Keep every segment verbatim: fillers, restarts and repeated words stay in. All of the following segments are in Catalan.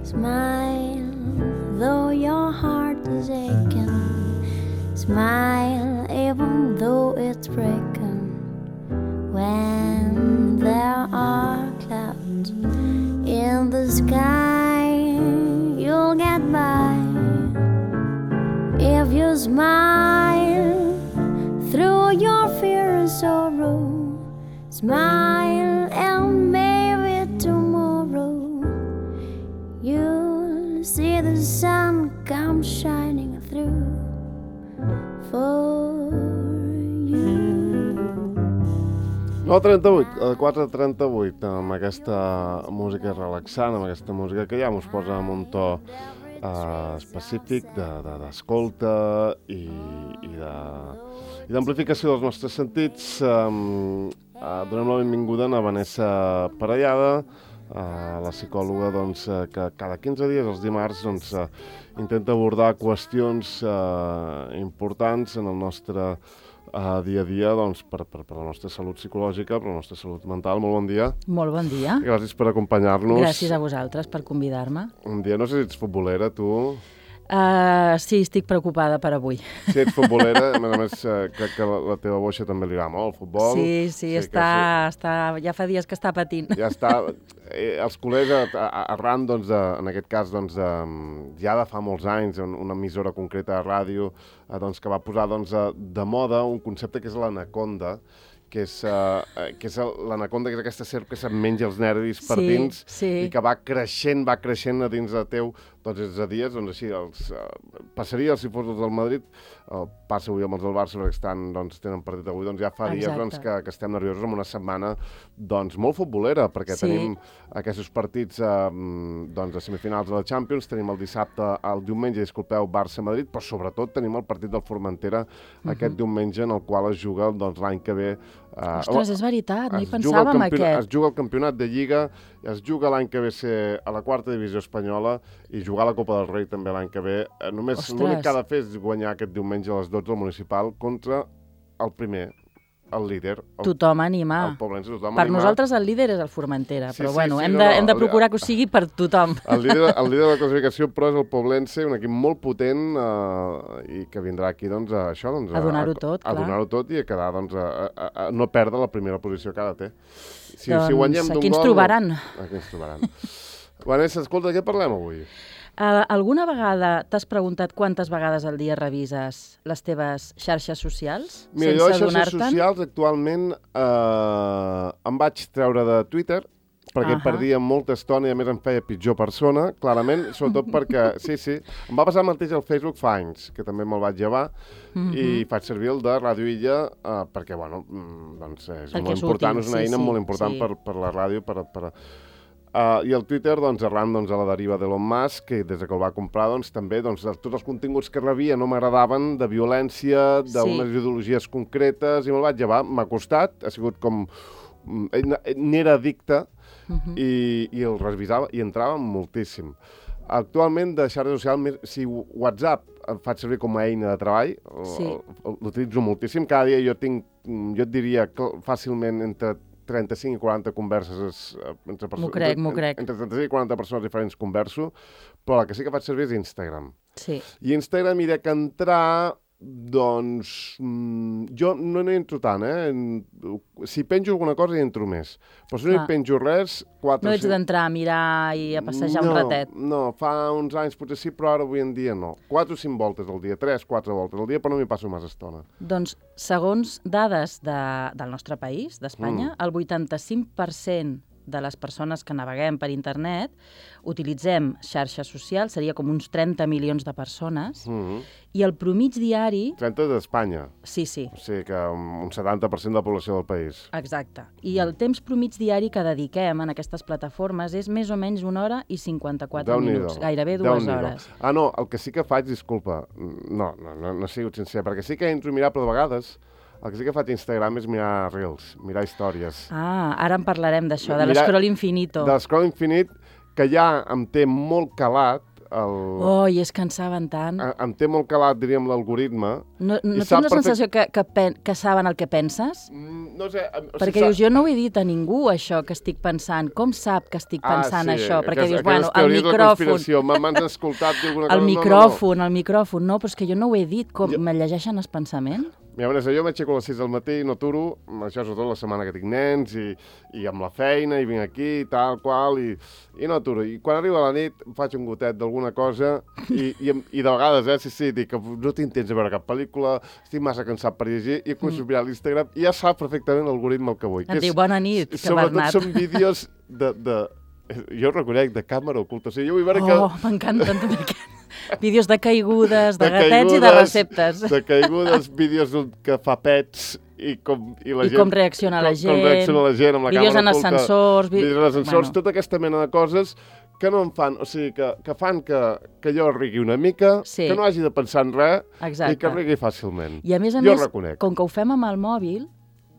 Smile, though your heart is aching. Smile, even though it's breaking. When there are clouds in the sky, you'll get by. If you smile through your fear and sorrow, smile and maybe tomorrow you'll see the sun come shining through for you. nou trenta-vuit, quatre trenta-vuit, amb aquesta música relaxant, amb aquesta música que ja mos posa en un to uh, específic d'escolta de, de, i, i d'amplificació dels nostres sentits. Um, uh, donem la benvinguda a Vanessa Parellada, uh, la psicòloga doncs, uh, que cada quinze dies, els dimarts, doncs, uh, intenta abordar qüestions uh, importants en el nostre Uh, dia a dia doncs, per, per, per la nostra salut psicològica, per la nostra salut mental. Molt bon dia. Molt bon dia. Gràcies per acompanyar-nos. Gràcies a vosaltres per convidar-me. Un dia, no sé si ets futbolera, tu... Uh, sí, estic preocupada per avui. Si ets futbolera, a més a més, uh, crec que la, la teva boixa també li agrada molt, el futbol. Sí, sí, sí està, sí. està, ja fa dies que està patint. Ja està. Eh, els culers, arran, doncs, de, en aquest cas, doncs, de, ja de fa molts anys, una emissora concreta de ràdio, eh, doncs, que va posar doncs, de moda un concepte que és l'anaconda, que és, uh, que és l'anaconda, que és aquesta serp que se't menja els nervis per sí, dins sí. i que va creixent, va creixent a dins de teu, doncs és a dies, doncs així, els, uh, passaria si fos els del Madrid, uh, passa avui amb els del Barça, perquè estan, doncs, tenen partit avui, doncs ja fa dies doncs, que, que estem nerviosos amb una setmana doncs, molt futbolera, perquè sí. tenim aquests partits uh, doncs, de semifinals de la Champions, tenim el dissabte, el diumenge, disculpeu, Barça-Madrid, però sobretot tenim el partit del Formentera uh-huh. aquest diumenge, en el qual es juga doncs, l'any que ve. Uh, Ostres, és veritat, no hi pensàvem aquest. Es juga el campionat de Lliga, es juga l'any que ve ser a la quarta divisió espanyola i jugar a la Copa del Rei també l'any que ve. Uh, només l'únic que ha de fer és guanyar aquest diumenge a les dotze al Municipal contra el primer, el líder. El, tothom anima. El Poblense, tothom per anima. Nosaltres el líder és el Formentera, sí, però sí, bueno, sí, hem, no, de, no, hem de procurar el, que ho sigui per tothom. El líder, el líder de la classificació, però, és el Poblense, un equip molt potent uh, i que vindrà aquí doncs, a això. Doncs, a donar-ho tot, a, a clar. donar-ho tot i a quedar, doncs, a, a, a no perdre la primera posició que ara té. Si, doncs si guanyem d'un aquí ens gol, trobaran. Aquí ens trobaran. Vanessa, escolta, de què parlem avui? Uh, alguna vegada t'has preguntat quantes vegades al dia revises les teves xarxes socials? Mira, sense jo les xarxes adonar-te'n? socials actualment eh, em vaig treure de Twitter perquè uh-huh. perdia molta estona i a més em feia pitjor persona, clarament, sobretot perquè, sí, sí, em va passar el mateix al Facebook fa anys, que també me'l vaig llevar, uh-huh. i faig servir el de Ràdio Illa eh, perquè, bueno, doncs és perquè molt és important, útil, és una sí, eina sí, molt important sí. per, per la ràdio, per... per Uh, I el Twitter, doncs, arran doncs, a la deriva d'Elon Musk, que des que el va comprar, doncs, també doncs, tots els continguts que rebia no m'agradaven, de violència, d'unes sí. ideologies concretes, i me'l vaig llevar. M'ha costat, ha sigut com... N'era addicte, uh-huh. i, i el revisava, i entrava moltíssim. Actualment, de xarxa social, si WhatsApp em faig servir com a eina de treball, sí. l'utilitzo moltíssim. Cada dia jo tinc, jo et diria, fàcilment entre trenta-cinc i quaranta converses entre persones. M'ho crec, m'ho crec. Entre trenta-cinc i quaranta persones diferents converso, però la que sí que faig servir és Instagram. Sí. I Instagram hi dec entrar, doncs, mmm, jo no hi entro tant, eh? Si penjo alguna cosa hi entro més. Però si no hi penjo res... quatre, no ets d'entrar a mirar i a passejar no, un ratet. No, fa uns anys potser sí, però ara avui en dia no. Quatre o cinc voltes al dia, tres, quatre voltes al dia, però no m'hi passo massa estona. Doncs, segons dades de, del nostre país, d'Espanya, mm. el vuitanta-cinc per cent de les persones que naveguem per internet utilitzem xarxes socials, seria com uns trenta milions de persones, mm-hmm. i el promig diari... trenta d'Espanya. Sí, sí. O sigui que un setanta per cent de la població del país. Exacte. I el temps promig diari que dediquem en aquestes plataformes és més o menys una hora i cinquanta-quatre minuts, gairebé dues hores. Ah, no, el que sí que faig, disculpa, no, no, no, no he sigut sincer, perquè sí que entro a mirar, però de vegades... El que sí que faig a Instagram és mirar Reels, mirar històries. Ah, ara en parlarem d'això, de l'escroll infinito. De l'escroll infinit, que ja em té molt calat, el... Oh, i és que en saben tant. A, em té molt calat, diríem, l'algoritme. No, no tens sap la perfect- sensació que, que, pen, que saben el que penses? Mm, no sé... O sigui, Perquè sa- dius, jo no ho he dit a ningú, això que estic pensant. Com sap que estic pensant ah, sí, això? Perquè aquestes- dius, bueno, el aquestes teories de la micròfon... conspiració, m'ha- m'han escoltat dir alguna cosa... El no, micròfon, el micròfon, no, però és que jo no ho he dit, com Jo- me llegeixen el pensament? Mira, Vanessa, jo m'aixeco a les sis del matí, no aturo, això sobretot la setmana que tinc nens, i, i amb la feina, i vinc aquí, i tal, qual, i, i no aturo. I quan arriba la nit, em faig un gotet d'alguna cosa, i, i, em- i de vegades, eh, sí, sí, dic que no tinc temps de veure cap pel·lícula, estic massa cansat per llegir, i començo a mirar l'Instagram, i ja sap perfectament l'algoritme el que vull. Et diu, bona nit, que sobretot Bernat. són vídeos de, de... Jo reconec, de càmera oculta. O sigui, jo vull veure que... Oh, m'encanten també aquests vídeos de caigudes, de, De gatets i de caigudes, receptes. De caigudes, vídeos d'un que fa pets i com, i la I gent... com reacciona la com, gent. Com reacciona la gent amb la Vídeos càmera en oculta. ascensors, vi- Vídeos en ascensors, bueno. tota aquesta mena de coses que no em fan, o sigui, que, que fan que, que jo rigui una mica, Sí. que no hagi de pensar en res Exacte. i que rigui fàcilment. I a més a jo més, reconec. com que ho fem amb el mòbil,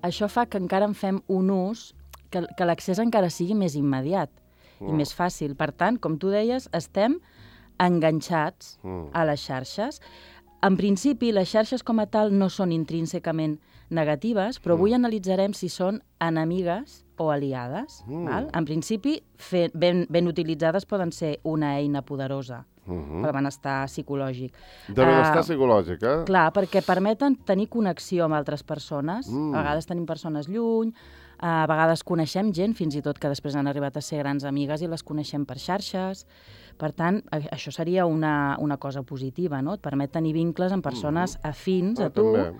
això fa que encara en fem un ús, que, que l'accés encara sigui més immediat Mm. i més fàcil. Per tant, com tu deies, estem enganxats Mm. a les xarxes. En principi, les xarxes com a tal no són intrínsecament negatives, però avui analitzarem si són enemigues o aliades. Mm. Val? En principi, fe, ben, ben utilitzades poden ser una eina poderosa Mhm. pel benestar psicològic. De benestar Ah, psicològic, eh? Clar, perquè permeten tenir connexió amb altres persones. Mm. A vegades tenim persones lluny, a vegades coneixem gent, fins i tot que després han arribat a ser grans amigues i les coneixem per xarxes. Per tant, a- això seria una, una cosa positiva, no? Et permet tenir vincles amb persones afins a Ah, tu. també.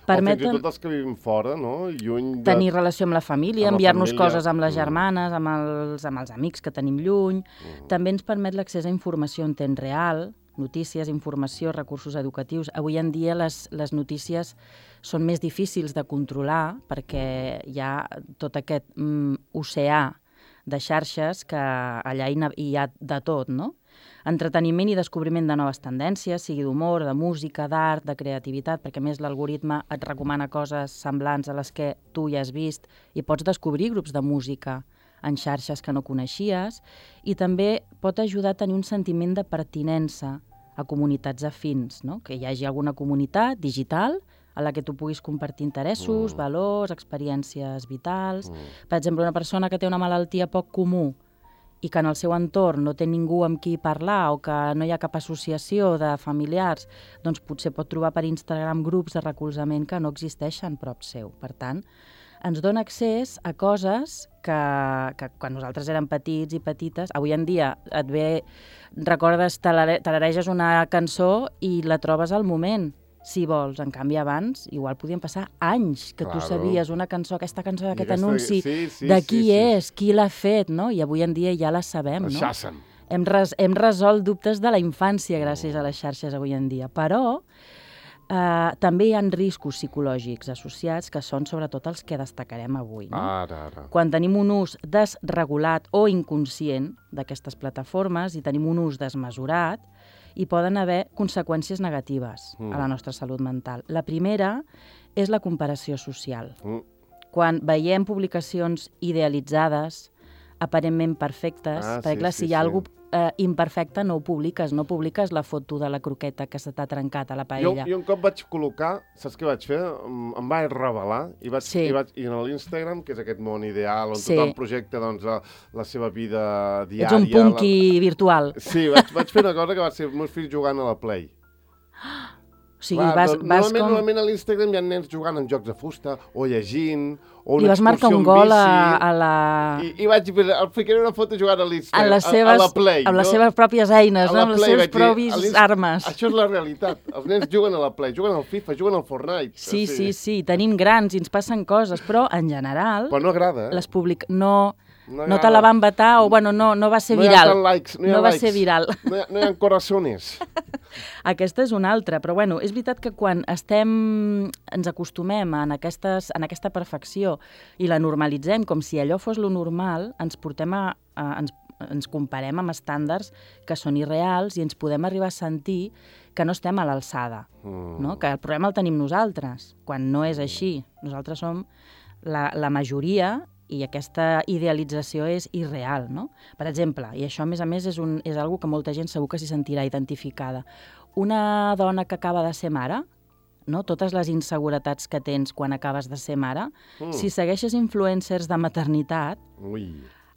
Permeten O fins i tot els que vivim fora, no? Lluny de... tenir relació amb la família, Amb la enviar-nos família. coses amb les Mm. germanes, amb els, amb els amics que tenim lluny. Mm. També ens permet l'accés a informació en temps real, notícies, informació, recursos educatius. Avui en dia les, les notícies són més difícils de controlar perquè hi ha tot aquest mm, oceà de xarxes que allà hi, na- hi ha de tot, no? Entreteniment i descobriment de noves tendències, sigui d'humor, de música, d'art, de creativitat, perquè a més l'algoritme et recomana coses semblants a les que tu ja has vist i pots descobrir grups de música en xarxes que no coneixies, i també pot ajudar a tenir un sentiment de pertinença a comunitats afins, no? Que hi hagi alguna comunitat digital a la que tu puguis compartir interessos, Mm. valors, experiències vitals. Mm. Per exemple, una persona que té una malaltia poc comú i que en el seu entorn no té ningú amb qui parlar o que no hi ha cap associació de familiars, doncs potser pot trobar per Instagram grups de recolzament que no existeixen prop seu. Per tant, ens dona accés a coses que, que quan nosaltres érem petits i petites, avui en dia et ve, recordes, talare, talareges una cançó i la trobes al moment, si vols. En canvi, abans, igual podien passar anys que Claro. tu sabies una cançó, aquesta cançó, aquest aquesta- anunci, sí, sí, de sí, qui sí. és, qui l'ha fet, no? I avui en dia ja la sabem, no? Xassen. Hem, res, hem resolt dubtes de la infància gràcies a les xarxes avui en dia, però eh, també hi ha riscos psicològics associats que són sobretot els que destacarem avui. No? Ara, ara. Quan tenim un ús desregulat o inconscient d'aquestes plataformes i tenim un ús desmesurat, hi poden haver conseqüències negatives Mm. a la nostra salut mental. La primera és la comparació social. Mm. Quan veiem publicacions idealitzades, aparentment perfectes, Ah, perquè sí, clar, sí, si hi ha sí. algú eh, imperfecte no ho publiques, no publiques la foto de la croqueta que se t'ha trencat a la Jo, paella. jo un cop vaig col·locar, saps què vaig fer? Em, em vaig revelar i vaig, Sí. i vaig i en l'Instagram, que és aquest món ideal on Sí. tothom projecta doncs, la, la seva vida diària. Ets un punky virtual. La... Sí, vaig, vaig fer una cosa que va ser els meus fills jugant a la Play. O sigui, Clar, vas, doncs, vas normalment, com... normalment a l'Instagram hi ha nens jugant en jocs de fusta, o llegint, o una I vas marcar excursió un en gol bici, a, a la... I, I vaig fer, el ficaré una foto jugant a l'Instagram, a les a, seves, a la Play. amb les no? seves pròpies eines, A no? la amb les Play, seves vaig dir, a propis l'Inst- armes. Això és la realitat. Els nens juguen a la Play, juguen al FIFA, juguen al Fortnite. Sí, o sí, sigui, sí, tenim grans i ens passen coses, però en general Però no agrada, eh? les public... no, No no hi te ha- la van vetar o bueno, no, no va ser no hi ha viral. tant likes, no hi ha va likes. ser viral. No hi ha, no hi ha corazones. Aquesta és una altra, però bueno, és veritat que quan estem, ens acostumem en, aquestes, en aquesta perfecció i la normalitzem com si allò fos lo normal, ens portem a, a ens, ens comparem amb estàndards que són irreals i ens podem arribar a sentir que no estem a l'alçada, Mm. no? Que el problema el tenim nosaltres, quan no és així. Nosaltres som la, la majoria i aquesta idealització és irreal, no? Per exemple, i això a més a més és, un, és algo que molta gent segur que s'hi sentirà identificada, una dona que acaba de ser mare, no? Totes les inseguretats que tens quan acabes de ser mare, mm. si segueixes influencers de maternitat, Ui.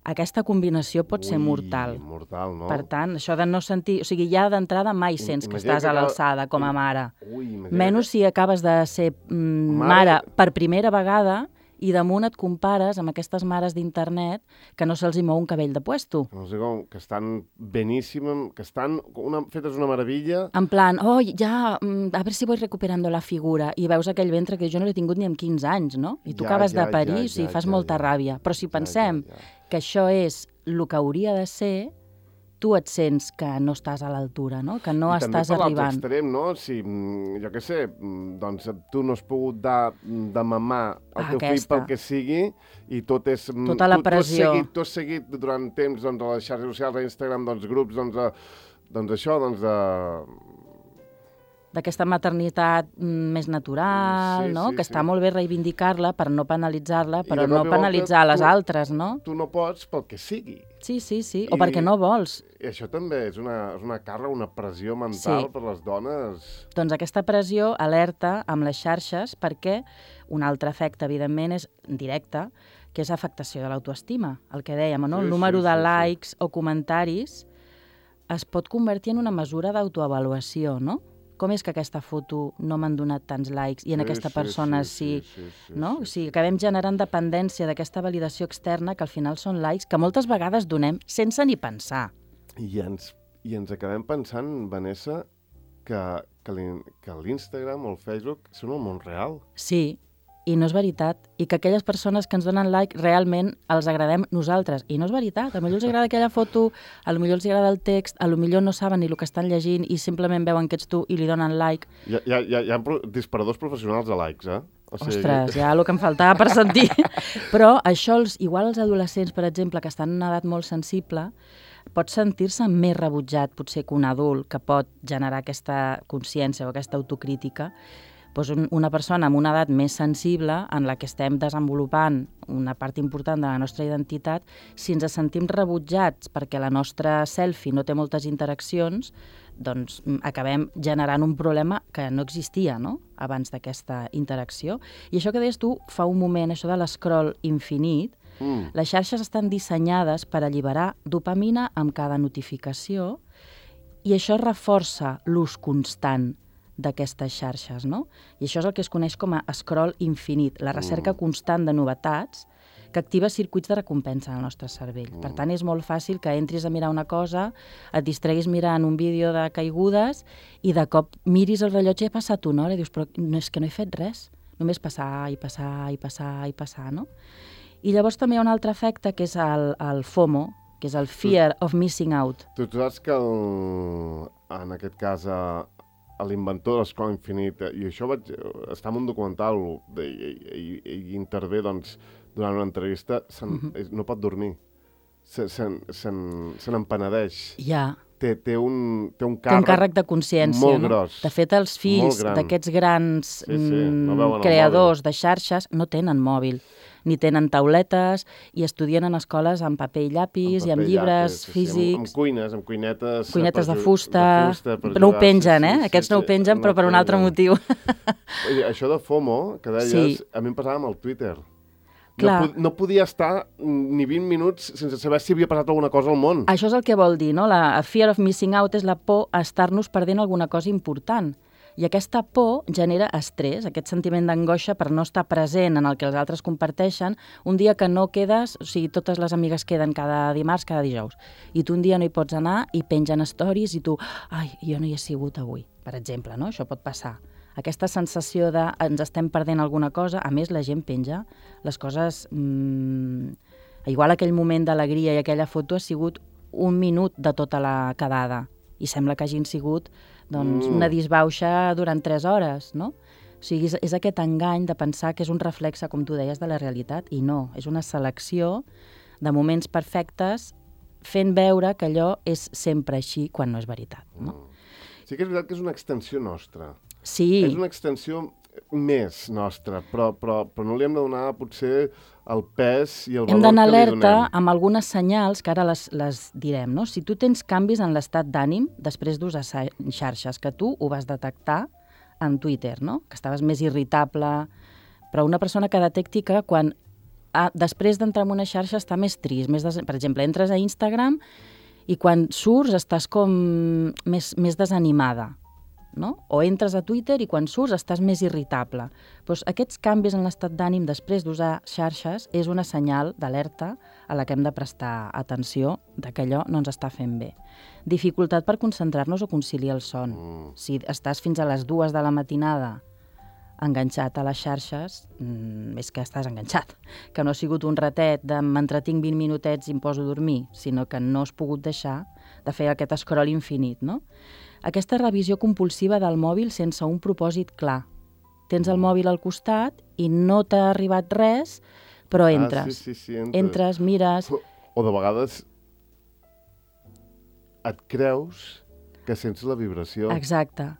aquesta combinació pot Ui, ser mortal. mortal, no? Per tant, això de no sentir... O sigui, ja d'entrada mai sents que Imagina estàs que a acaba- l'alçada com a mare. Ui, imagina Menys si acabes de ser mm, mare... Mare- per primera vegada i damunt et compares amb aquestes mares d'internet que no se'ls hi mou un cabell de puesto. No sé com, que estan beníssimes, que estan una, fetes una meravella. En plan, oh, ja, mm, a veure si voy recuperando la figura. I veus aquell ventre que jo no l'he tingut ni amb quinze anys, no? I tu Ja, acabes ja, de parir, ja, o sigui, ja, fas ja, molta ja. ràbia. Però si Ja, pensem ja, ja. que això és el que hauria de ser, tu et sents que no estàs a l'altura, no? Que no I també estàs per l'altre arribant. extrem, no? Si, mm, jo què sé, mm, doncs tu no has pogut dar de mamar al Ah, teu fill aquesta. pel que sigui i tot és... mm, Tota la tu, tu, has pressió. seguit, tu has seguit durant temps doncs, a les xarxes socials, a Instagram, doncs, grups, doncs, de, doncs això, doncs, de... D'aquesta maternitat mm, més natural, Sí, no? sí, Que està sí. molt bé reivindicar-la per no penalitzar-la, I però de no cop i volta penalitzar les tu- altres, no? Tu no pots pel que sigui. Sí, sí, sí. O I- perquè no vols. I això també és una, és una càrrega, una pressió mental Sí. per les dones. Doncs aquesta pressió alerta amb les xarxes perquè un altre efecte, evidentment, és directe, que és afectació de l'autoestima. El que dèiem, no? Sí, El número sí, de sí, sí. likes o comentaris es pot convertir en una mesura d'autoavaluació, no? Com és que aquesta foto no m'han donat tants likes i en Sí, aquesta sí, persona sí, sí, sí, sí, sí, no? sí, O sigui, acabem generant dependència d'aquesta validació externa que al final són likes que moltes vegades donem sense ni pensar. I ens, I ens acabem pensant, Vanessa, que, que l'in- que l'Instagram o el Facebook són el món real. Sí, i no és veritat. I que aquelles persones que ens donen like realment els agradem nosaltres. I no és veritat. A lo millor els agrada aquella foto, a lo millor els agrada el text, a lo millor no saben ni el que estan llegint i simplement veuen que ets tu i li donen like. Hi ha, hi ha, hi ha, hi ha pro- disparadors professionals de likes, eh? O Ostres, ja el que em faltava per sentir. Però això, els, igual els adolescents, per exemple, que estan en una edat molt sensible, pot sentir-se més rebutjat, potser, que un adult que pot generar aquesta consciència o aquesta autocrítica. Doncs un, una persona amb una edat més sensible, en la que estem desenvolupant una part important de la nostra identitat, si ens sentim rebutjats perquè la nostra selfie no té moltes interaccions, doncs mm, acabem generant un problema que no existia, no?, abans d'aquesta interacció. I això que deies tu fa un moment, això de l'escroll infinit, Mm. les xarxes estan dissenyades per alliberar dopamina amb cada notificació i això reforça l'ús constant d'aquestes xarxes, no? I això és el que es coneix com a scroll infinit, la recerca Mm. constant de novetats que activa circuits de recompensa en el nostre cervell. Mm. Per tant, és molt fàcil que entris a mirar una cosa, et distreguis mirant un vídeo de caigudes i de cop miris el rellotge i ha passat una hora i dius, però no, és que no he fet res, només passar i passar i passar i passar, no? I llavors també hi ha un altre efecte que és el, el FOMO, que és el Fear of Missing Out. Tu, tu saps que el, en aquest cas a, a l'inventor de l'escola infinita, i això vaig, està en un documental de, i, i, i intervé doncs, durant una entrevista, se Mhm. no pot dormir, se, se, se, se n'empenedeix. Ja, Té, té, un, té un té un càrrec, càrrec de consciència, molt no? gros. De fet, els fills Molt gran. d'aquests grans Sí, sí, no mm, veuen el creadors de xarxes no tenen mòbil, ni tenen tauletes i estudien en escoles amb paper i llapis i amb paper llibres llapis, sí, sí, físics. amb, amb cuines, amb cuinetes... Cuinetes per de ju- fusta, de fusta per no ho jugar, pengen, sí, eh? sí, Aquests sí, no ho sí, pengen, però per un altre pengen. motiu. Oye, això de FOMO, que deies, Sí. a mi em passava amb el Twitter. Clar. No, po no podia estar ni vint minuts sense saber si havia passat alguna cosa al món. Això és el que vol dir, no? La fear of missing out és la por a estar-nos perdent alguna cosa important. I aquesta por genera estrès, aquest sentiment d'angoixa per no estar present en el que els altres comparteixen, un dia que no quedes, o sigui, totes les amigues queden cada dimarts, cada dijous, i tu un dia no hi pots anar i pengen stories i tu, ai, jo no hi he sigut avui, per exemple, no? Això pot passar. Aquesta sensació de ens estem perdent alguna cosa, a més la gent penja les coses... Mmm, igual aquell moment d'alegria i aquella foto ha sigut un minut de tota la quedada i sembla que hagin sigut doncs, Mm. una disbauxa durant tres hores, no? O sigui, és, és aquest engany de pensar que és un reflexe, com tu deies, de la realitat, i no, és una selecció de moments perfectes fent veure que allò és sempre així quan no és veritat, no? Sí que és veritat que és una extensió nostra. Sí, És una extensió... més nostre, però, però, però no li hem de donar potser el pes i el Hem valor d'anar que li alerta donem. amb algunes senyals que ara les, les direm, no? Si tu tens canvis en l'estat d'ànim després d'usar sa- xarxes, que tu ho vas detectar en Twitter, no? Que estaves més irritable, però una persona que detecti que quan ah, després d'entrar en una xarxa està més trist, més des... per exemple, entres a Instagram i quan surts estàs com més, més desanimada, no? O entres a Twitter i quan surts estàs més irritable. Doncs aquests canvis en l'estat d'ànim després d'usar xarxes és una senyal d'alerta a la que hem de prestar atenció de que allò no ens està fent bé. Dificultat per concentrar-nos o conciliar el son. Mm. Si estàs fins a les dues de la matinada enganxat a les xarxes, mmm, és que estàs enganxat. Que no ha sigut un ratet de m'entretinc vint minutets i em poso a dormir, sinó que no has pogut deixar de fer aquest scroll infinit, no? Aquesta revisió compulsiva del mòbil sense un propòsit clar. Tens el mòbil al costat i no t'ha arribat res, però entres. Ah, sí, sí, sí, entres. Entres, mires... O, o de vegades et creus que sents la vibració. Exacte.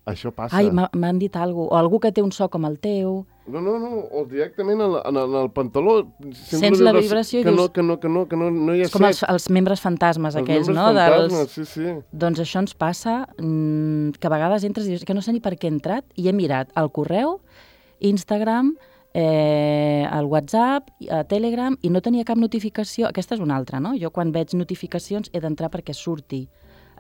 Això passa. Ai, m'ha- m'han dit alguna cosa. O algú que té un so com el teu. No, no, no, o directament en, en, en el pantaló. Sents, Sents la vibració i que dius- no, que no, que no, que no, no hi ha És com els, set. els membres fantasmes Els aquells, membres no? fantasmes, sí, sí. Doncs això ens passa, mmm, que a vegades entres i dius que no sé ni per què he entrat i he mirat el correu, Instagram, eh, el WhatsApp, a Telegram, i no tenia cap notificació. Aquesta és una altra, no? Jo quan veig notificacions he d'entrar perquè surti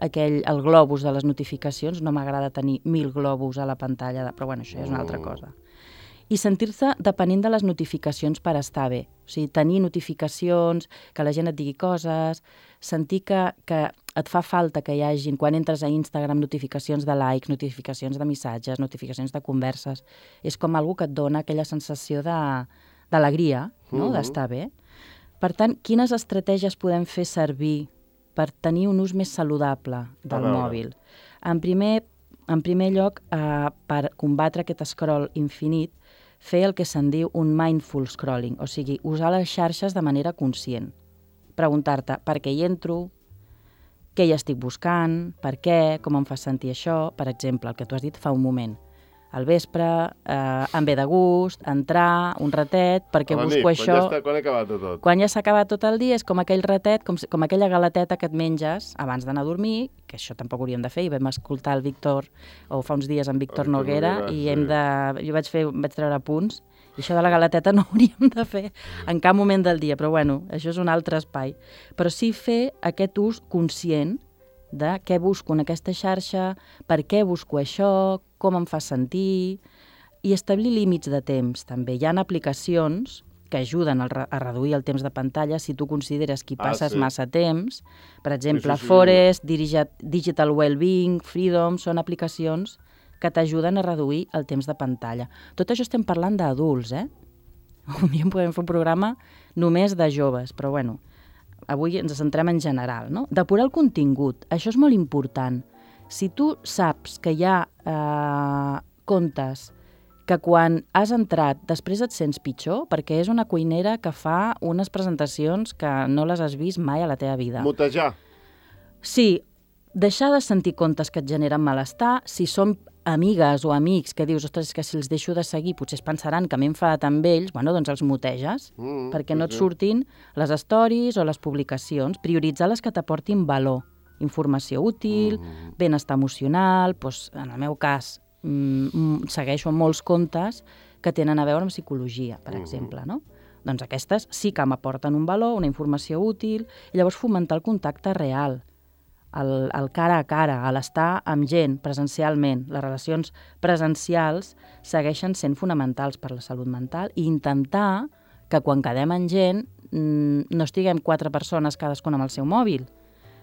aquell, el globus de les notificacions. No m'agrada tenir mil globus a la pantalla, de, però bueno, això ja és una altra cosa. I sentir-se depenent de les notificacions per estar bé. O sigui, tenir notificacions, que la gent et digui coses, sentir que, que et fa falta que hi hagin, quan entres a Instagram, notificacions de likes, notificacions de missatges, notificacions de converses. És com algú que et dona aquella sensació de- d'alegria, no? Mhm. D'estar bé. Per tant, quines estratègies podem fer servir per tenir un ús més saludable del veure. mòbil? En primer, en primer lloc, eh, per combatre aquest scroll infinit, fer el que se'n diu un mindful scrolling, o sigui, usar les xarxes de manera conscient. Preguntar-te per què hi entro, què hi estic buscant, per què, com em fa sentir això. Per exemple, el que tu has dit fa un moment. Al vespre, eh, em ve de gust, entrar, un ratet, perquè A la busco nit, això... Quan ja està, quan he acabat de tot. Quan ja s'ha acabat tot el dia és com aquell ratet, com, si- com aquella galeteta que et menges abans d'anar a dormir, que això tampoc hauríem de fer, i vam escoltar el Víctor, o fa uns dies en Víctor El Víctor Noguera, Noguera, i sí. hem de... Jo vaig, fer, vaig treure punts, i això de la galeteta no ho hauríem de fer en cap moment del dia, però bueno, això és un altre espai. Però sí fer aquest ús conscient de què busco en aquesta xarxa, per què busco això, com em fa sentir, i establir límits de temps, també. Hi ha aplicacions que ajuden a, re a reduir el temps de pantalla si tu consideres que hi Ah, passes sí. massa temps. Per exemple, sí, sí. Forest, Dirigi- Digital Wellbeing, Freedom, són aplicacions que t'ajuden a reduir el temps de pantalla. Tot això estem parlant d'adults, eh? Un dia en podem fer un programa només de joves, però bueno, avui ens centrem en general, no? Depurar el contingut, això és molt important. Si tu saps que hi ha eh, comptes que quan has entrat després et sents pitjor, perquè és una cuinera que fa unes presentacions que no les has vist mai a la teva vida. Mutejar. Sí, deixar de sentir comptes que et generen malestar, si són amigues o amics que dius, ostres, és que si els deixo de seguir potser es pensaran que m'he enfadat amb ells, bueno, doncs els muteges, Mm, perquè sí, no et sí. surtin les stories o les publicacions. Prioritzar les que t'aportin valor, informació útil, Mm. benestar emocional, doncs, en el meu cas, mm, segueixo molts comptes que tenen a veure amb psicologia, per Mhm. exemple, no? Doncs aquestes sí que m'aporten un valor, una informació útil, i llavors fomentar el contacte real, el, el cara a cara, a l'estar amb gent presencialment. Les relacions presencials segueixen sent fonamentals per la salut mental i intentar que quan quedem amb gent mm, no estiguem quatre persones cadascuna amb el seu mòbil,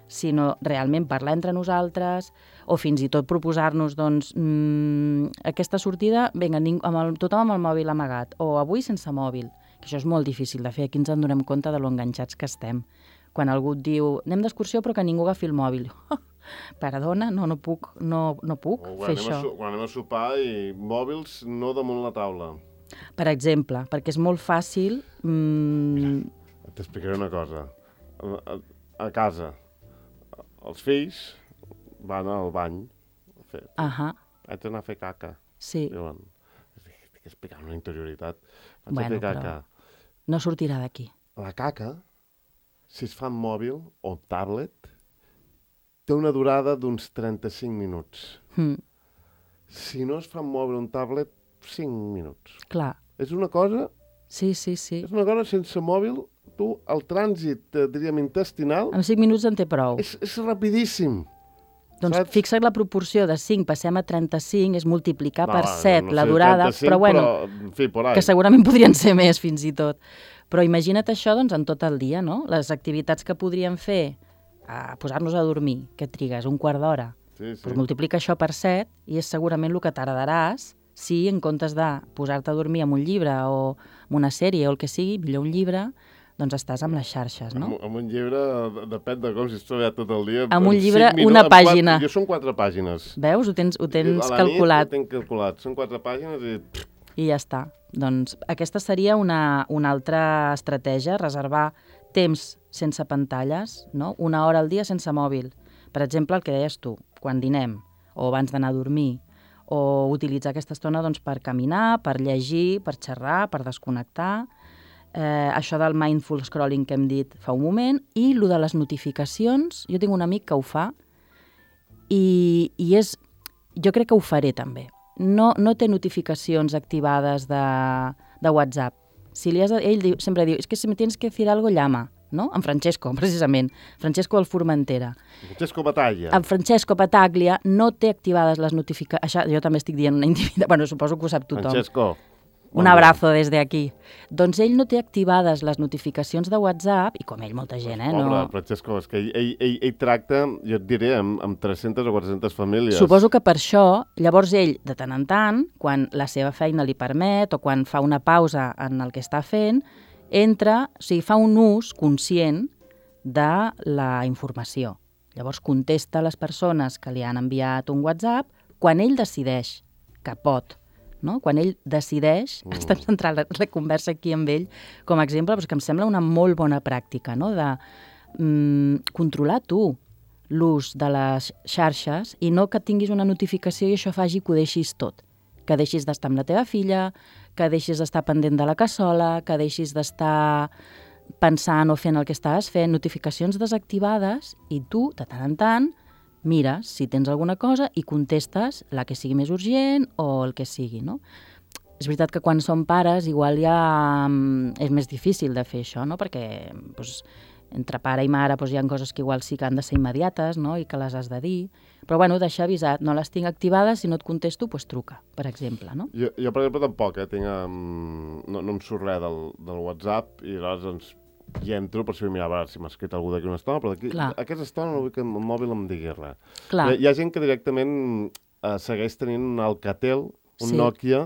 sinó realment parlar entre nosaltres o fins i tot proposar-nos doncs, mmm, aquesta sortida, vinga, ning- amb el, tothom amb el mòbil amagat, o avui sense mòbil, que això és molt difícil de fer, aquí ens en donem compte de lo enganxats que estem. Quan algú et diu, anem d'excursió però que ningú agafi el mòbil. Perdona, no, no puc, no, no puc O fer quan anem, això. a, su- quan anem a sopar i mòbils no damunt la taula. Per exemple, perquè és molt fàcil... Mm, T'explicaré una cosa. A, a, a casa, els fills van al bany. A fer, ahà, haig d'anar a fer caca. sí. Diuen, estic explicant una interioritat. Vaig Bueno, a fer caca. però no sortirà d'aquí. La caca, si es fa en mòbil o tablet, té una durada d'uns trenta-cinc minuts. Mm, Si no es fa en mòbil o en tablet, cinc minuts. clar, És una cosa, sí, sí, sí. és una cosa sense mòbil, tu, el trànsit, eh, diríem, intestinal, Amb cinc minuts en té prou. és, és rapidíssim. Doncs saps? fixa't la proporció de cinc, passem a trenta-cinc, és multiplicar No, per set no la sé, durada, trenta-cinc, però bueno, però, en fi, por ahí. que segurament podrien ser més fins i tot. Però imagina't això doncs, en tot el dia, no? Les activitats que podríem fer, a posar-nos a dormir, que trigues un quart d'hora, Sí, sí. doncs multiplica això per set i és segurament el que tardaràs si en comptes de posar-te a dormir amb un llibre o amb una sèrie o el que sigui, millor un llibre, doncs estàs amb les xarxes, no? Amb, amb un llibre, de- depèn de com, si has treballat tot el dia... Amb un en llibre, cinc minuts, una en quatre- pàgina. Jo són quatre pàgines. Veus? Ho tens, ho tens A la calculat. nit ho tinc calculat. Són quatre pàgines i... I ja està. Doncs aquesta seria una, una altra estratègia, reservar temps sense pantalles, no? Una hora al dia sense mòbil. Per exemple, el que deies tu, quan dinem o abans d'anar a dormir, o utilitzar aquesta estona doncs, per caminar, per llegir, per xerrar, per desconnectar, eh, això del mindful scrolling que hem dit fa un moment, i lo de les notificacions, jo tinc un amic que ho fa, i, i és, jo crec que ho faré també. No, no té notificacions activades de, de WhatsApp. Si li has de, ell diu, sempre diu, és que si me tienes que decir algo, llama, no? En Francesco, precisament. Francesco del Formentera. Francesco Batalla. En Francesco Pataglia no té activades les notificacions... Jo també estic dient una intimitat, bueno, suposo que ho sap tothom. Francesco. Un abrazo des d'aquí. Doncs ell no té activades les notificacions de WhatsApp, i com ell, molta gent, eh? Pobre, No... Francesco, és que ell, ell, ell, ell tracta, jo et diré, amb, amb tres-centes o quatre-centes famílies. Suposo que per això, llavors ell, de tant en tant, quan la seva feina li permet o quan fa una pausa en el que està fent, entra, o sigui, fa un ús conscient de la informació. Llavors contesta a les persones que li han enviat un WhatsApp quan ell decideix que pot. No? Quan ell decideix, mm. estem centrant la, la conversa aquí amb ell com a exemple, però que em sembla una molt bona pràctica, no? De mm, controlar tu l'ús de les xarxes i no que tinguis una notificació i això faci que ho deixis tot. Que deixis d'estar amb la teva filla, que deixis d'estar pendent de la cassola, que deixis d'estar pensant o fent el que estaves fent, notificacions desactivades, i tu, de tant en tant, mires si tens alguna cosa i contestes la que sigui més urgent o el que sigui, no? És veritat que quan som pares igual ja mm, és més difícil de fer això, no? Perquè doncs, entre pare i mare doncs, hi ha coses que igual sí que han de ser immediates, no? I que les has de dir. Però bueno, deixar avisat, no les tinc activades, si no et contesto, doncs truca, per exemple, no? Jo, jo per exemple, tampoc, eh? Tinc, um, no, no em surt res del, del WhatsApp i llavors doncs, hi entro per si vull mirar a veure si m'ha escrit algú d'aquí una estona, però d'aquí, aquesta estona no vull que el mòbil em digui res. Clar. Hi, hi ha gent que directament eh, segueix tenint un Alcatel, un Sí. Nokia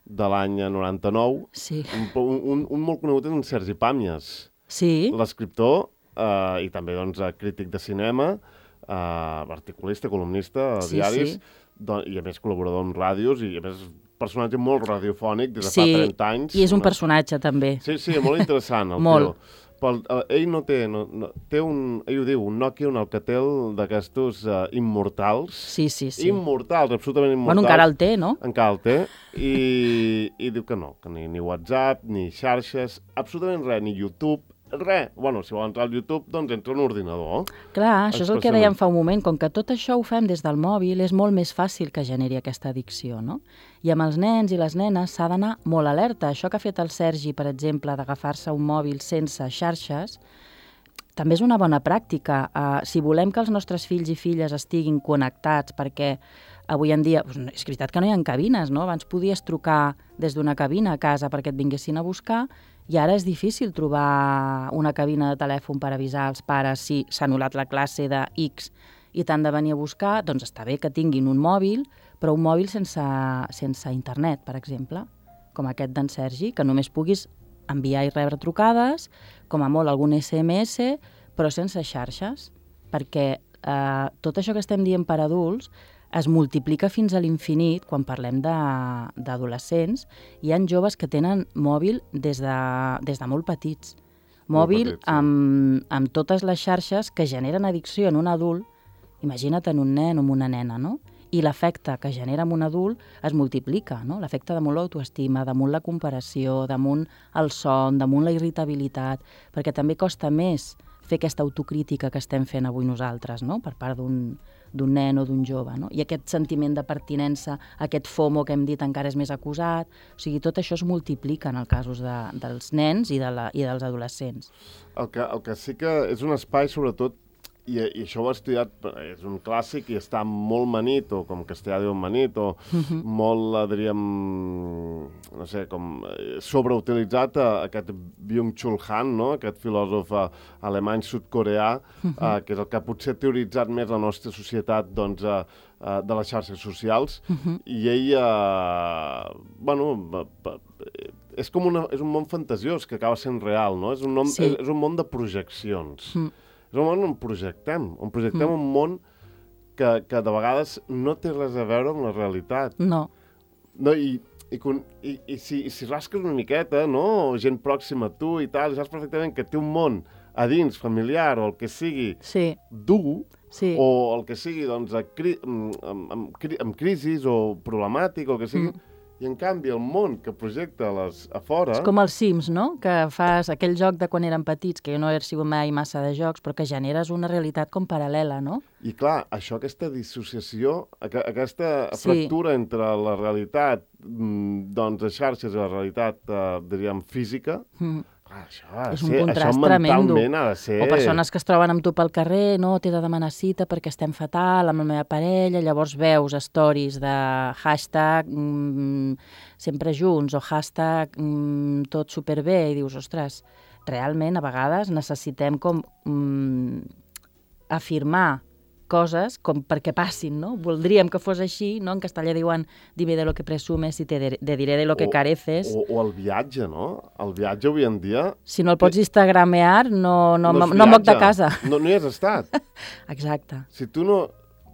de l'any noranta-nou, Sí. un, un, un molt conegut és en Sergi Pàmies, Sí. l'escriptor eh, i també doncs, crític de cinema, eh, articulista, columnista, a Sí, diaris, sí. Don, i a més col·laborador amb ràdios, i a més personatge molt radiofònic des de Sí, fa trenta anys. i és un no? personatge també. Sí, sí, molt interessant el Molt. tio. Però uh, ell no té, no, no, té un, ell ho diu, un Nokia, un Alcatel d'aquestos uh, immortals. Sí, sí, sí. Immortals, absolutament immortals. Bueno, encara el té, no? Encara el té. I, i diu que no, que ni, ni WhatsApp, ni xarxes, absolutament res, ni YouTube, res. Bueno, si vol entrar al YouTube, doncs entra a un ordinador. Clar, això és el que Expressament. dèiem fa un moment. Com que tot això ho fem des del mòbil, és molt més fàcil que generi aquesta addicció, no? I amb els nens i les nenes s'ha d'anar molt alerta. Això que ha fet el Sergi, per exemple, d'agafar-se un mòbil sense xarxes, també és una bona pràctica. Uh, si volem que els nostres fills i filles estiguin connectats, perquè avui en dia, doncs, és veritat que no hi ha cabines, no? Abans podies trucar des d'una cabina a casa perquè et vinguessin a buscar, i ara és difícil trobar una cabina de telèfon per avisar als pares si s'ha anul·lat la classe de X i t'han de venir a buscar, doncs està bé que tinguin un mòbil, però un mòbil sense, sense internet, per exemple, com aquest d'en Sergi, que només puguis enviar i rebre trucades, com a molt algun esse eme esse, però sense xarxes, perquè eh, tot això que estem dient per adults es multiplica fins a l'infinit quan parlem d'adolescents. Hi ha joves que tenen mòbil des de, des de molt petits. Mòbil Molt petits, sí. amb, amb totes les xarxes que generen addicció en un adult, imagina't en un nen o en una nena, no? i l'efecte que genera en un adult es multiplica, no? L'efecte damunt l'autoestima, damunt la comparació, damunt el son, damunt la irritabilitat, perquè també costa més fer aquesta autocrítica que estem fent avui nosaltres, no? Per part d'un d'un nen o d'un jove, no? I aquest sentiment de pertinença, aquest FOMO que hem dit encara és més acusat, o sigui, tot això es multiplica en els casos de, dels nens i, de la, i dels adolescents. El que, el que sí que és un espai, sobretot, i, i això ho he estudiat, és un clàssic i està molt manit, o com castellà diu manit, o uh-huh. molt, diríem, no sé, com sobreutilitzat, uh, aquest Byung-Chul Han, no? Aquest filòsof uh, alemany-sud-coreà, uh-huh. uh, que és el que potser ha teoritzat més la nostra societat doncs, uh, uh, de les xarxes socials, uh-huh. i ell, uh, bueno, uh, és com una, és un món fantasiós que acaba sent real, no? És un, nom, sí. és, és un món de projeccions. Uh-huh. És un món on projectem, on projectem mm. un món que, que de vegades no té res a veure amb la realitat. No. No i, i, i, i, si, i si rasques una miqueta, no? Gent pròxima a tu i tal, i saps perfectament que té un món a dins, familiar, o el que sigui, sí. dur, sí. o el que sigui, doncs, a cri, amb, amb, amb crisis o problemàtic, o el que sigui, mm. i en canvi el món que projecta les a fora... És com els Sims, no? Que fas aquell joc de quan eren petits, que jo no he sigut mai massa de jocs, però que generes una realitat com paral·lela, no? I clar, això, aquesta dissociació, aquesta sí. fractura entre la realitat doncs, de xarxes i la realitat, eh, diríem, física, mm. clar, això, ha de és un ser, contrast això tremendo. mentalment ha de ser... O persones que es troben amb tu pel carrer, no, t'he de demanar cita perquè estem fatal amb la meva parella, llavors veus stories de hashtag mm, sempre junts o hashtag mm, tot superbé i dius, ostres, realment a vegades necessitem com mm, afirmar coses com perquè passin, no? Voldríem que fos així, no? En castellà diuen dime de lo que presumes i te de, de diré de lo que o, careces. O, o el viatge, no? El viatge avui en dia... Si no el pots instagramear, no, no, no, no, no moc de casa. No, no hi has estat. Exacte. Si tu no...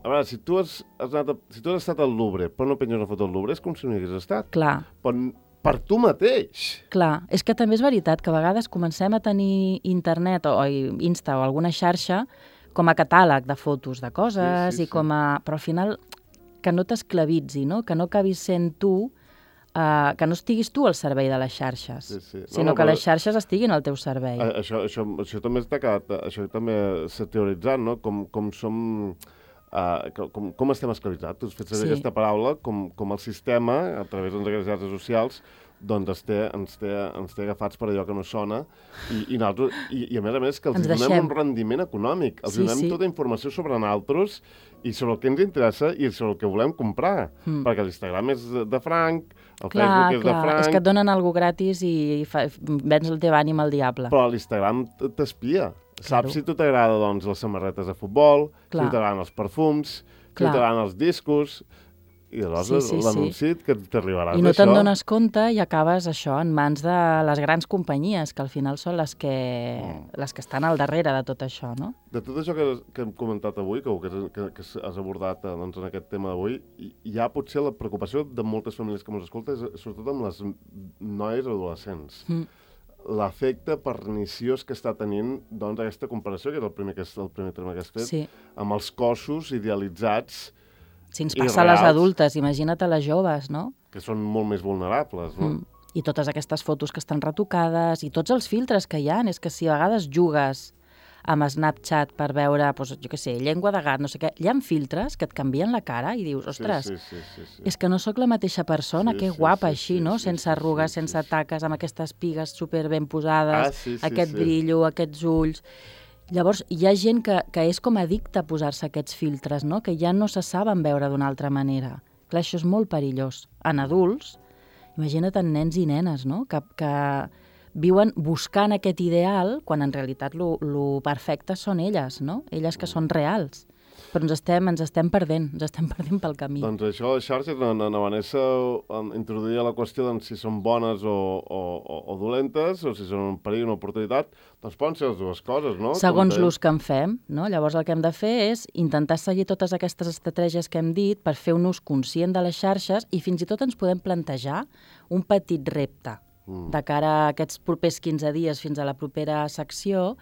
A veure, si tu has, has, anat a, si tu has estat al Louvre, però no penges una foto al Louvre, és com si no hi hagués estat. Clar. Però per tu mateix. Clar, és que també és veritat que a vegades comencem a tenir internet o, o Insta o alguna xarxa com a catàleg de fotos de coses, sí, sí, i com a... Però al final que no t'esclavitzi, no? Que no acabis sent tu, uh, que no estiguis tu al servei de les xarxes, sí, sí. No, sinó no, que però... les xarxes estiguin al teu servei. A, això, això, això també està quedat, això també s'ha teoritzat, no? Com, com som... Uh, com, com estem esclavitzats. Tu has fet servir sí. aquesta paraula, com, com el sistema, a través de les xarxes socials, doncs ens té, ens, té, ens té agafats per allò que no sona i, i, nosaltres, i, i a més a més que els donem deixem. un rendiment econòmic, els sí, donem sí. tota informació sobre nosaltres i sobre el que ens interessa i sobre el que volem comprar, mm. perquè l'Instagram és de franc, el clar, Facebook és clar. de franc... És que et donen alguna gratis i fa, vens el teu ànim al diable. Però l'Instagram t'espia. Saps claro. Si tu t'agrada doncs, les samarretes de futbol, clar. Si t'agraden els perfums, clar. Si t'agraden els discos... I aleshores sí, sí, l'anunci sí. que t'arribaràs I no te'n dones compte i acabes això en mans de les grans companyies, que al final són les que, mm. les que estan al darrere de tot això, no? De tot això que, que hem comentat avui, que, que, que has abordat doncs, en aquest tema d'avui, hi ha potser la preocupació de moltes famílies que ens escolten, sobretot amb les noies adolescents. Mm. L'efecte perniciós que està tenint doncs, aquesta comparació, que és el primer, que és el primer terme que has fet, sí. amb els cossos idealitzats. Si ens passa a les adultes, imagina't a les joves, no? Que són molt més vulnerables, no? Mm. I totes aquestes fotos que estan retocades i tots els filtres que hi ha. És que si a vegades jugues amb Snapchat per veure, doncs, jo què sé, llengua de gat, no sé què, hi ha filtres que et canvien la cara i dius, ostres, sí, sí, sí, sí, sí. és que no sóc la mateixa persona, sí, que guapa sí, així, sí, no? Sí, sense sí, arrugues, sí, sense sí, taques, amb aquestes pigues super ben posades, ah, sí, sí, aquest sí. brillo, aquests ulls... Llavors, hi ha gent que, que és com addicta a posar-se aquests filtres, no? Que ja no se saben veure d'una altra manera. Clar, això és molt perillós. En adults, imagina't en nens i nenes, no? Que, que viuen buscant aquest ideal quan en realitat lo, lo perfecte són elles, no? Elles que són reals. Però ens estem, ens estem perdent, ens estem perdent pel camí. Doncs això, les xarxes, na, na, na Vanessa introduïa la qüestió de si són bones o, o, o dolentes, o si són un perill o una oportunitat, doncs poden ser les dues coses, no? Segons l'ús que en fem, no? Llavors el que hem de fer és intentar seguir totes aquestes estratègies que hem dit per fer un ús conscient de les xarxes i fins i tot ens podem plantejar un petit repte mm. de cara a aquests propers quinze dies fins a la propera secció,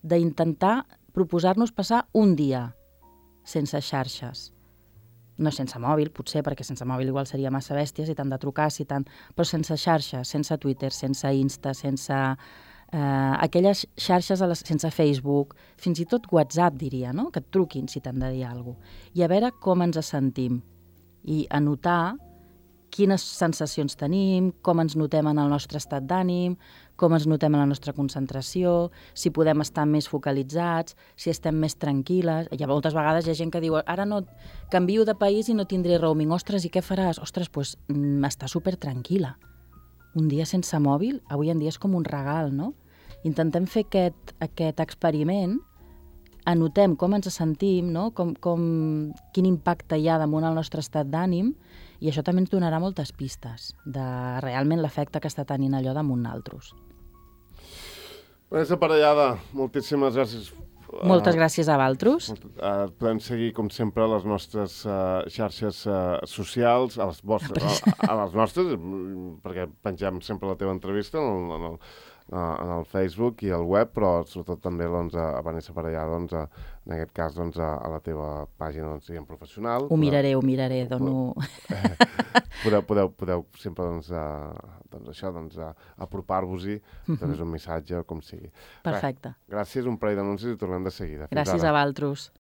d'intentar proposar-nos passar un dia sense xarxes. no sense mòbil, potser, perquè sense mòbil igual seria massa bèstia, si t'han de trucar, si t'han... però sense xarxa, sense Twitter, sense Insta, sense eh, aquelles xarxes a les... sense Facebook, fins i tot WhatsApp, diria, no? Que et truquin si t'han de dir alguna cosa. I a veure com ens sentim. I anotar quines sensacions tenim, com ens notem en el nostre estat d'ànim, com ens notem en la nostra concentració, si podem estar més focalitzats, si estem més tranquil·les. Hi ha moltes vegades hi ha gent que diu ara no canvio de país i no tindré roaming. Ostres, i què faràs? Ostres, doncs mm, està super tranquil·la. Un dia sense mòbil, avui en dia és com un regal, no? Intentem fer aquest, aquest experiment, anotem com ens sentim, no? com, com, quin impacte hi ha damunt el nostre estat d'ànim, i això també ens donarà moltes pistes de realment l'efecte que està tenint allò damunt naltros. Vanessa Parellada, moltíssimes gràcies. Moltes gràcies a Valtros. Uh, podem seguir, com sempre, a les nostres uh, xarxes uh, socials, a les, vostres, a, a les nostres, perquè pengem sempre la teva entrevista en el, en el, en el Facebook i el web, però sobretot també doncs, a Vanessa Parellada, doncs, a, en aquest cas doncs, a, a la teva pàgina doncs, diguem, professional. Ho miraré, ho miraré, dono... Podeu, podeu, podeu sempre doncs, a, doncs, això, doncs, a, apropar-vos-hi, uh-huh. També és un missatge, com sigui. Perfecte. Res, gràcies, un parell d'anuncis i tornem de seguida. Fins gràcies ara. a Valtros.